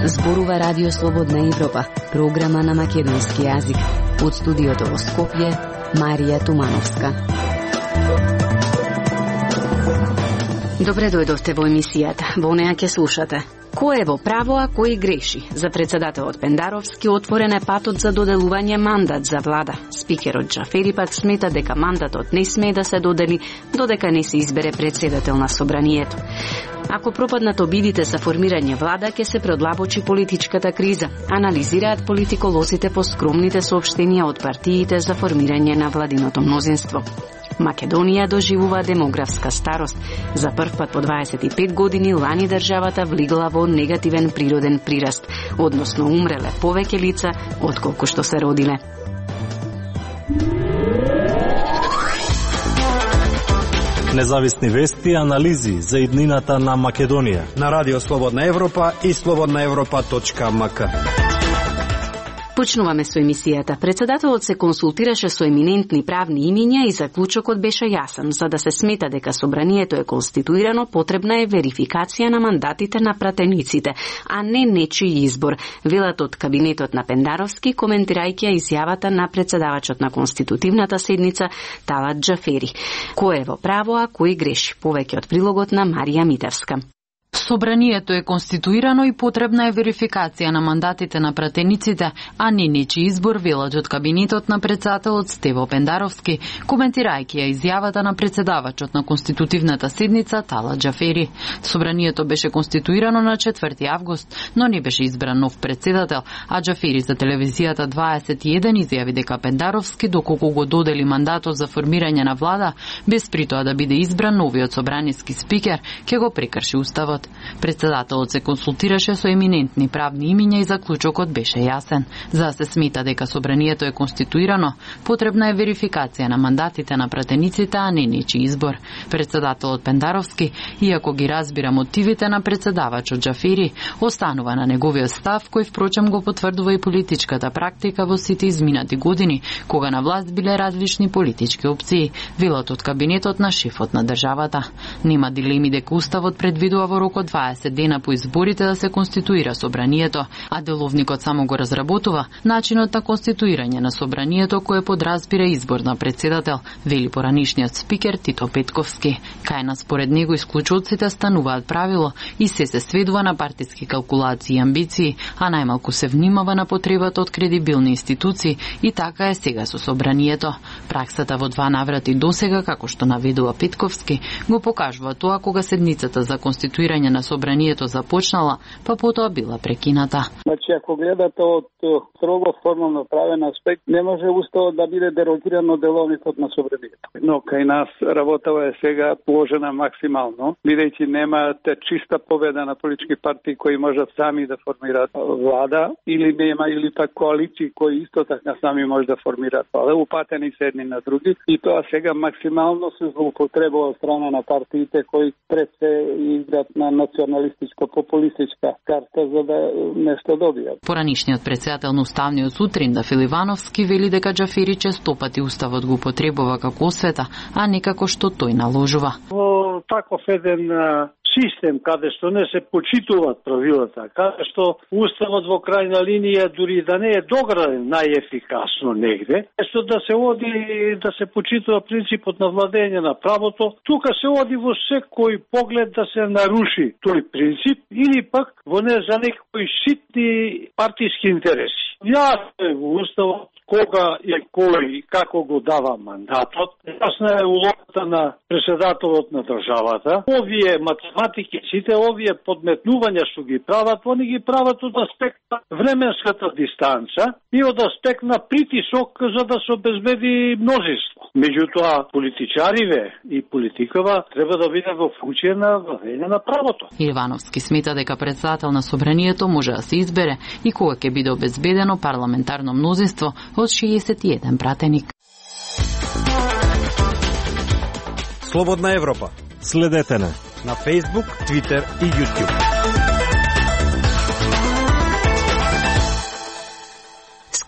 Зборува Радио Слободна Европа, програма на македонски јазик. Од студиото во Скопје, Марија Тумановска. Добре дојдовте во емисијата. Во неа ќе слушате. Кој е во право, а кој греши? За председателот Пендаровски отворен е патот за доделување мандат за влада. Спикерот Џафери пак смета дека мандатот не смее да се додели додека не се избере председател на собранието. Ако пропаднат обидите за формирање влада, ќе се предлабочи политичката криза, анализираат политиколозите по скромните соопштенија од партиите за формирање на владиното мнозинство. Македонија доживува демографска старост. За прв пат по 25 години лани државата влегла во негативен природен прираст, односно умреле повеќе лица отколку што се родиле. Независни вести и анализи за иднината на Македонија на Радио Слободна Европа и slobodnaevropa.mk. Почнуваме со емисијата. Председателот се консултираше со еминентни правни имиња и заклучокот беше јасен. За да се смета дека собранието е конституирано, потребна е верификација на мандатите на пратениците, а не нечиј избор, велат од кабинетот на Пендаровски, коментирајќи изјавата на председавачот на конститутивната седница Талат Џафери. Кој е во право, а кој греши? Повеќе од прилогот на Марија Митевска. Собранието е конституирано и потребна е верификација на мандатите на пратениците, а не нечи избор, велат од кабинетот на председателот Стево Пендаровски, коментирајќи ја изјавата на председавачот на конститутивната седница Талат Џафери. Собранието беше конституирано на 4 август, но не беше избран нов председател, а Џафери за телевизијата 21 изјави дека Пендаровски, доколку го додели мандатот за формирање на влада, без при тоа да биде избран новиот собраниски спикер, ќе го прекрши уставот. Председателот се консултираше со еминентни правни имиња и заклучокот беше јасен. За да се смета дека собранието е конституирано, потребна е верификација на мандатите на пратениците, а не нечи избор. Председателот Пендаровски, иако ги разбира мотивите на председавачот Џафери, останува на неговиот став, кој впрочем го потврдува и политичката практика во сите изминати години, кога на власт биле различни политички опции, велат од кабинетот на шефот на државата. Нема дилеми дека уставот предвидува во рок од 20 дена по изборите да се конституира собранието, а деловникот само го разработува начинот на конституирање на собранието кое подразбира избор на председател, вели поранишниот спикер Тито Петковски. Кај според него исклучоците стануваат правило и се сведува на партиски калкулации и амбиции, а најмалку се внимава на потребата од кредибилни институции и така е сега со собранието. Праксата во 2 наврати досега, како што наведува Петковски, го покажува тоа кога седницата за конституирање на собранието започнала, па потоа била прекината. Значи, ако гледате од строго формално правен аспект, не може уставот да биде дерогиран од деловникот на собранието. Но кај нас работава е сега положена максимално, бидејќи немате чиста победа на политички партии кои можат сами да формираат влада, или нема, или пак коалиции кои исто така сами може да формираат влада, упатени се едни на други, и тоа сега максимално се злоупотребува од страна на партиите кои пред се играат на националистичко-популистичка карта за да нешто добијат. Поранишниот председател на Уставниот суд Ринда Филивановски вели дека Џафери често пати уставот го потребува како освета, а не како што тој наложува. Во таков еден систем каде што не се почитуваат правилата, каде што уставот во крајна линија дури да не е дограден најефикасно негде, што да се оди да се почитува принципот на владење на правото, тука се оди во секој поглед да се наруши тој принцип или пак во не за некои ситни партиски интереси. Јасно е во уставот кога и кој и како го дава мандатот. Јасна е улогата на председателот на државата. Овие математики, сите овие подметнувања што ги прават, они ги прават од аспект на временската дистанца и од аспект на притисок за да се обезбеди мнозинство. Меѓутоа, политичариве и политикава треба да биде во функција на владење на правото. Ивановски смета дека председател на собранието може да се избере и кога ќе биде обезбедено парламентарно мнозинство од 61 пратеник. Слободна Европа. Следете на Facebook, Twitter и YouTube.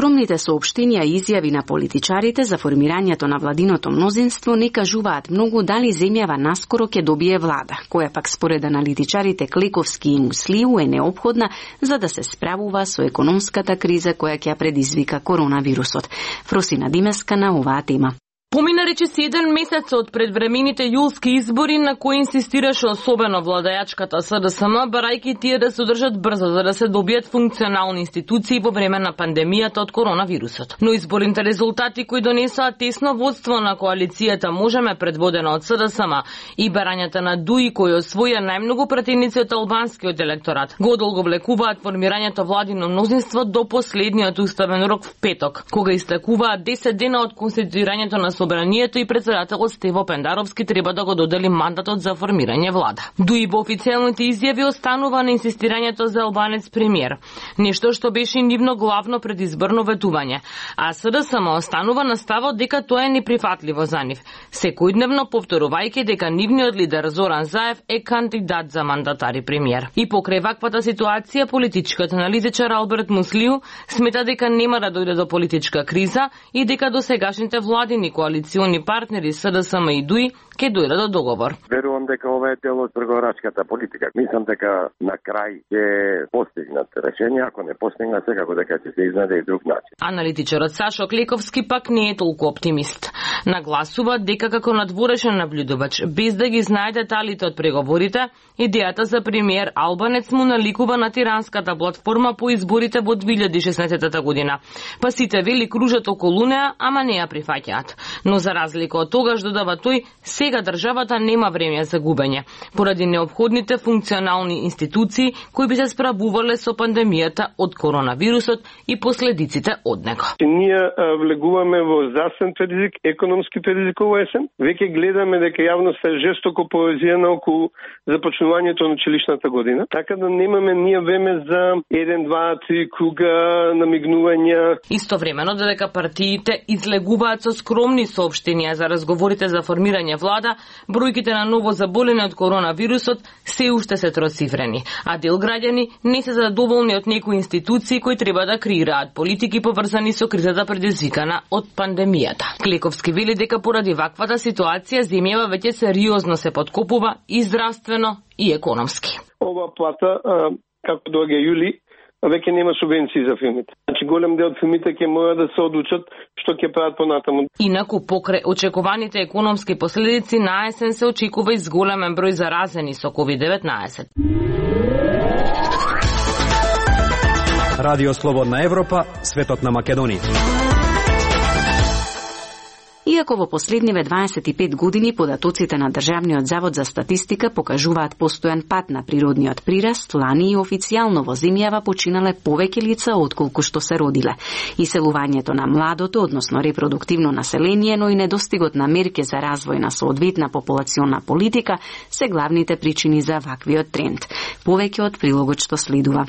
Скромните соопштенија и изјави на политичарите за формирањето на владиното мнозинство не кажуваат многу дали земјава наскоро ќе добие влада, која пак според аналитичарите Клековски и Муслиу е неопходна за да се справува со економската криза која ќе предизвика коронавирусот. Фросина Димеска на оваа тема. Помина речиси 1 месец од предвремените јулски избори на кои инсистираше особено владеачката СДСМ, барајќи тие да се одржат брзо за да се добијат функционални институции во време на пандемијата од коронавирусот. Но изборните резултати кои донесоа тесно водство на коалицијата Можеме предводена од СДСМ и барањата на ДУИ кои освоја најмногу пратеници од албанскиот електорат, го одолговлекуваат формирањето владино мнозинство до последниот уставен рок в петок, кога истекуваат 10 дена од конституирањето на Собранието и председателот Стево Пендаровски треба да го додели мандатот за формирање влада. ДУИ во официјалните изјави останува на инсистирањето за албанец премиер, нешто што беше нивно главно предизборно ветување, а СДСМ останува на ставот дека тоа е неприфатливо за нив, секојдневно повторувајќи дека нивниот лидер Зоран Заев е кандидат за мандатар и премиер. И покрај ваквата ситуација, политичкиот аналитичар Алберт Муслиу смета дека нема да дојде до политичка криза и дека досегашните владини коалициони партнери СДСМ и ДУИ ќе дојдат до договор. Верувам дека ова е дел од преговарачката политика. Мислам дека на крај ќе постигнат решение, ако не постигнат секако дека ќе се изнајде и друг начин. Аналитичарот Сашо Клековски пак не е толку оптимист. Нагласува дека како надворешен наблюдувач, без да ги знае деталите од преговорите, идејата за премиер албанец му наликува на тиранската платформа по изборите во 2016 година. Па сите вели кружат околу неа, ама не ја прифаќаат. Но за разлика од тогаш, додава тој, сега државата нема време за губење, поради неопходните функционални институции кои би се справувале со пандемијата од коронавирусот и последиците од него. Ние влегуваме во здравствен ризик, економски ризик во есен. Веќе гледаме дека јавноста е жестоко повезена околу започнувањето на училишната година, така да немаме ние време за 1, 2, 3 круга намигнувања. Истовремено додека партиите излегуваат со скромни соопштенија за разговорите за формирање влада, бројките на ново заболени од коронавирусот се уште се троцифрени, а дел граѓани не се задоволни од некои институции кои треба да креираат политики поврзани со кризата предизвикана од пандемијата. Клековски вели дека поради ваквата ситуација земјава веќе сериозно се подкопува и здравствено и економски. Ова плата, како доаѓа јули, веќе нема субвенции за филмите. Значи голем дел од филмите ќе мора да се одлучат што ќе прават понатаму. Инаку покрај очекуваните економски последици на есен се очекува и зголемен број заразени со COVID-19. Радио Слободна Европа, светот на Македонија. Иако во последниве 25 години податоците на Државниот завод за статистика покажуваат постојан пат на природниот прираст, лани и официјално во земјава починале повеќе лица отколку што се родиле. Иселувањето на младото, односно репродуктивно население, но и недостигот на мерки за развој на соодветна популационна политика се главните причини за ваквиот тренд. Повеќе од прилогот што следува.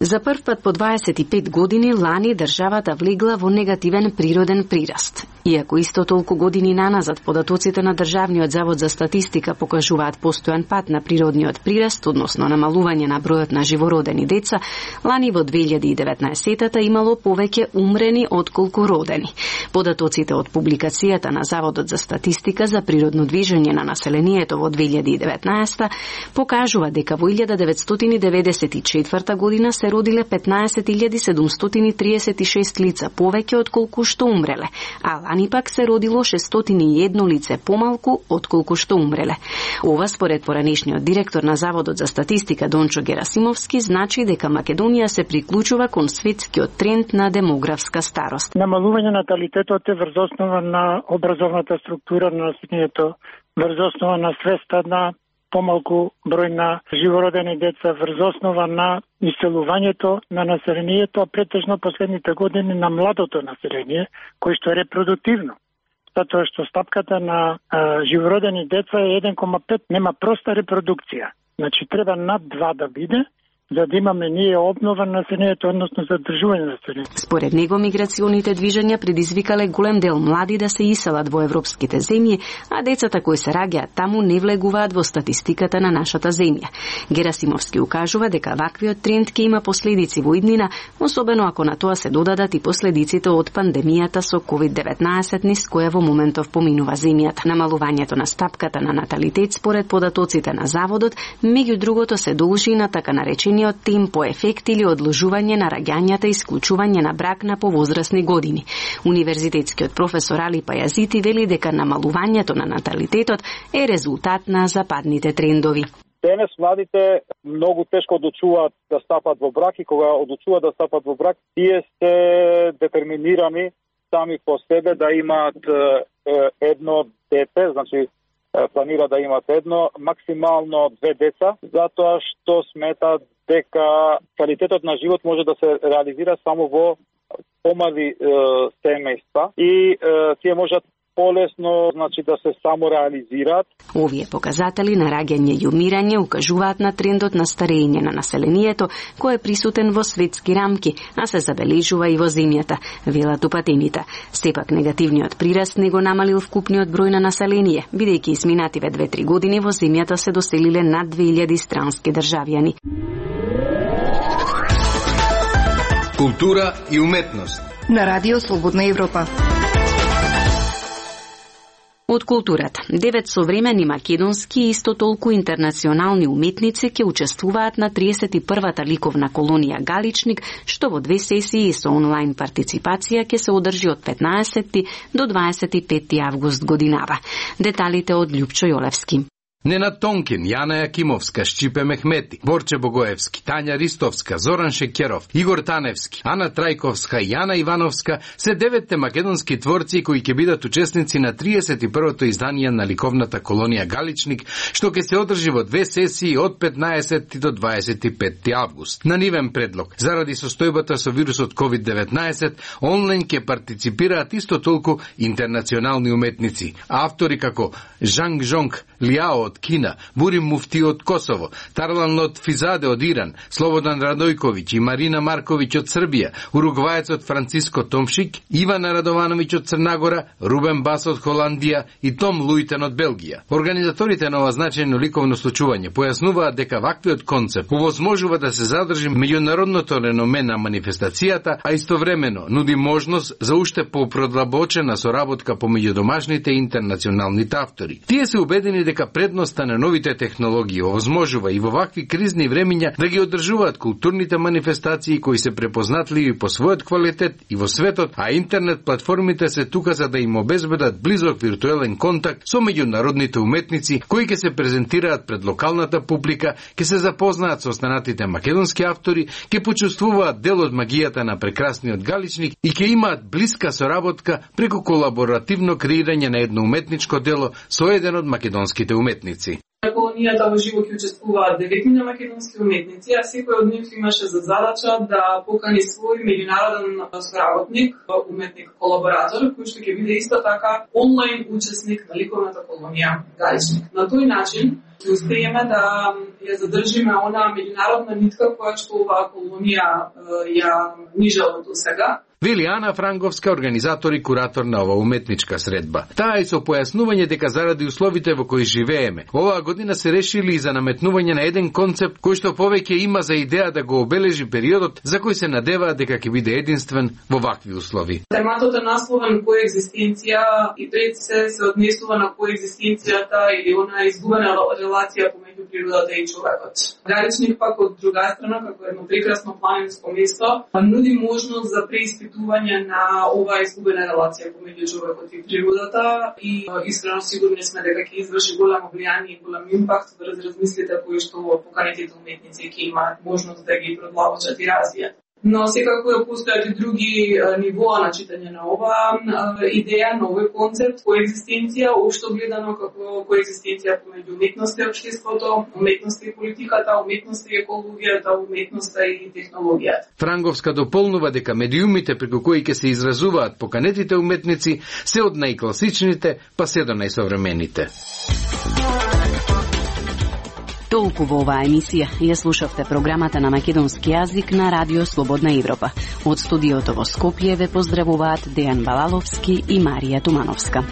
За прв пат по 25 години лани државата влегла во негативен природен прираст. Иако исто толку години наназад податоците на Државниот завод за статистика покажуваат постојан пат на природниот прираст, односно намалување на бројот на живородени деца, лани во 2019-та имало повеќе умрени отколку родени. Податоците од публикацијата на Заводот за статистика за природно движење на населението во 2019 покажува дека во 1994 година се родиле 15.736 лица повеќе отколку што умреле, а лани пак се родило 601 лице помалку отколку што умреле. Ова според поранешниот директор на Заводот за статистика Дончо Герасимовски значи дека Македонија се приклучува кон светскиот тренд на демографска старост. Намалување наталитетот е врз основа на образовната структура на населението, врз основа на свеста на помалку број на живородени деца, врз основа на иселувањето на населението, а претежно последните години на младото население, кој што е репродуктивно. Затоа што стапката на живородени деца е 1,5, нема проста репродукција. Значи треба над 2 да биде, за да имаме ние обнова на населението, односно задржување на населението. Според него, миграционите движења предизвикале голем дел млади да се иселат во европските земји, а децата кои се раѓаат таму не влегуваат во статистиката на нашата земја. Герасимовски укажува дека ваквиот тренд ќе има последици во иднина, особено ако на тоа се додадат и последиците од пандемијата со COVID-19 низ која во моментов поминува земјата. Намалувањето на стапката на наталитет според податоците на заводот, меѓу другото се должи на така наречениот темпо ефект или одложување на раѓањата и исклучување на брак на повозрасни години. Универзитетскиот професор Али Пајазити вели дека намалувањето на наталитетот е резултат на западните трендови. Денес младите многу тешко одлучуваат да стапат во брак и кога одлучуваат да стапат во брак, тие се детерминирани сами по себе да имаат едно дете, значи планира да имаат едно, максимално 2 деца, затоа што сметаат дека квалитетот на живот може да се реализира само во помали семејства и тие можат полесно, значи, да се самореализираат. Овие показатели на раѓање и умирање укажуваат на трендот на старење на населението, кој е присутен во светски рамки, а се забележува и во земјата, велат упатените. Сепак негативниот прираст не го намалил вкупниот број на население, бидејќи изминативе 2-3 години во земјата се доселиле над 2000 странски државјани. Култура и уметност на Радио Слободна Европа. Од културата, 9 современи македонски и исто толку интернационални уметници ќе учествуваат на 31-та ликовна колонија Галичник, што во 2 сесии со онлайн партиципација ќе се одржи од 15 до 25 август годинава. Деталите од Љупчо Јолевски. Ненад Тонкин, Јана Јакимовска, Шчипе Мехмети, Борче Богоевски, Тања Ристовска, Зоран Шекеров, Игор Таневски, Ана Трајковска и Јана Ивановска се 9 македонски творци кои ќе бидат учесници на 31-то издание на ликовната колонија Галичник, што ќе се одржи во 2 сесии од 15 до 25 август. На нивен предлог, заради состојбата со вирусот COVID-19, онлайн ќе партиципираат исто толку интернационални уметници. Автори како Жанг Жонг Лиао од Кина, Бурим Муфти од Косово, Тарлан Лотфизаде од Иран, Слободан Радојковиќ и Марина Марковиќ од Србија, уругваецот Франциско Томшик, Ивана Радовановиќ од Црнагора, Рубен Бас од Холандија и Том Луитен од Белгија. Организаторите на ова значајно ликовно случување појаснуваат дека ваквиот концепт овозможува да се задржи меѓународното реноме на манифестацијата, а истовремено нуди можност за уште попродлабочена соработка помеѓу домашните и интернационалните автори. Тие се убедени дека предноста на новите технологии овозможува и во вакви кризни времиња да ги одржуваат културните манифестации кои се препознатливи по својот квалитет и во светот, а интернет платформите се тука за да им обезбедат близок виртуелен контакт со меѓународните уметници кои ќе се презентираат пред локалната публика, ќе се запознаат со останатите македонски автори, ќе почувствуваат дел од магијата на прекрасниот Галичник и ќе имаат блиска соработка преку колаборативно креирање на едно уметничко дело со еден од македонските уметници. Колонијата во живо ќе учествуваат 9 македонски уметници, а секој од нив имаше за задача да покани свој меѓународен соработник, уметник, колаборатор, кој што ќе биде исто така онлайн учесник на ликовната колонија Галичник. На тој начин ќе успееме да ја задржиме она меѓународна нитка која што оваа колонија ја нижала до сега. Вели Ана Франговска, организатор и куратор на ова уметничка средба. Таа и со појаснување дека заради условите во кои живееме, оваа година се решили и за наметнување на еден концепт кој што повеќе има за идеја да го обележи периодот за кој се надеваат дека ќе биде единствен во вакви услови. Тематот е насловен коегзистенција и пред се однесува на коегзистенцијата или она изгубена релација помеѓу природата и човекот. Галичник пак од друга страна, како едно прекрасно планинско место, нуди можност за преиспитување на оваа изгубена релација помеѓу човекот и природата и искрено сигурни сме дека ќе изврши голямо влијание и голем импакт врз размислите кои што поканетите уметници ќе имаат можност да ги продолжат и развијат. Но секако постојат и други нивоа на читање на оваа идеја, на овој концепт, коегзистенција, општо гледано како коегзистенција помеѓу уметноста и општеството, уметноста и политиката, уметноста и екологијата, уметноста и технологијата. Франговска дополнува дека медиумите преку кои ќе се изразуваат поканетите уметници се од најкласичните па се до најсовремените. Толку во оваа емисија ја слушавте програмата на македонски јазик на Радио Слободна Европа. Од студиото во Скопје ве поздравуваат Дејан Балаловски и Марија Тумановска.